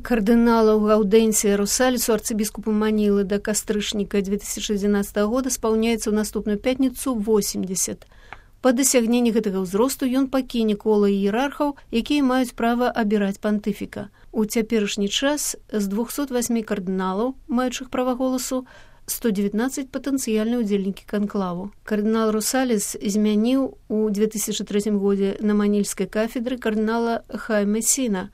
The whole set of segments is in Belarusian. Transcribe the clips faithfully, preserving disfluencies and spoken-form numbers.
Кардыналу Гаудэнсія Русалісу, арцыбіскупу Манілы да кастрычніка две тысячи одиннадцатого года спаўняецца ў наступную пятніцу восемьдесят. Па дасягненні гэтага ўзросту ён пакіне кола іерархаў, якія маюць права абіраць пантыфіка. У цяперашні час з двухсот восьми кардыналаў, маючых права голасу, сто девятнадцать патэнцыяльныя ўдзельнікі канклаву. Кардынал Русаліс змяніў у две тысячи третьем годзе на манільскай кафедры кардынала Хайме Сіна.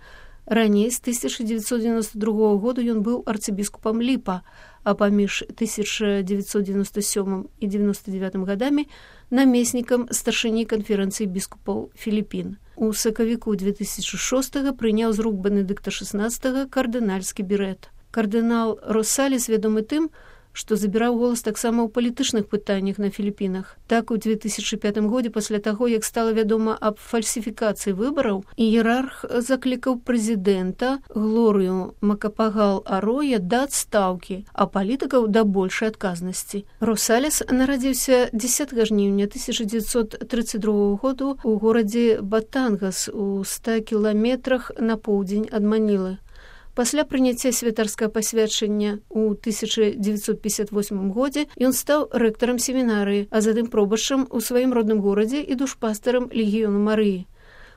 Раней, з тысяча девятьсот девяносто другого года ён быў арцыбіскупам Ліпа, а паміж тысяча девятьсот девяносто седьмым і девяносто девятым годамі намеснікам старшыні канферэнцыі біскупаў Філіпін. У сакавіку две тысячи шостого прыняў з рук Бенедыкта шестнадцатого кардынальскі берэт. Кардынал Русаліс вядомы тым, што забіраў голас таксама ў палітычных пытаннях на Філіпінах. Так, у две тысячи пятым годзе, пасля таго, як стала вядома аб фальсіфікацыі выбараў, іерарх заклікаў прэзідэнта Глорыю Макапагал-Ароя да адстаўкі, а палітыкаў да большай адказнасці. Русаліс нарадзіўся дзесятага жніўня тысяча девятьсот тридцать другого году ў горадзе Батангас у ста кіламетрах на поўдзень ад Манілы. Пасля прыняцця святарскага пасвячэння ў тысяча девятьсот пятьдесят восьмым годзе ён стаў рэктарам семінарыі, а затым пробашчам у сваім родным горадзе і душпастарам легіёну Марыі.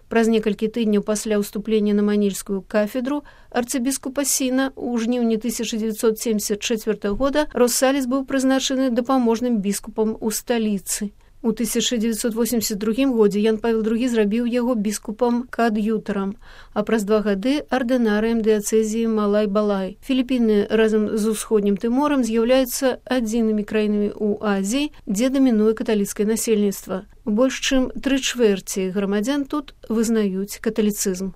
Праз некалькі тыдняў пасля ўступлення на манільскую кафедру арцыбіскупа Сіна ў жніўні тысяча девятьсот семьдесят четвёртого года Русаліс быў прызначаны дапаможным біскупам у сталіцы. У тысяча девятьсот восемьдесят другім годзе Ян Павел другі зрабіў яго біскупам каад'ютарам, а праз два гады ардынарыем дыяцэзіі Малай-Балай. Філіпіны разам з усходнім Тыморам з'яўляюцца адзінымі краінамі ў Азіі, дзе дамінуе каталіцкае насельніцтва. Больш чым тры чвэрці грамадзян тут вызнаюць каталіцызм.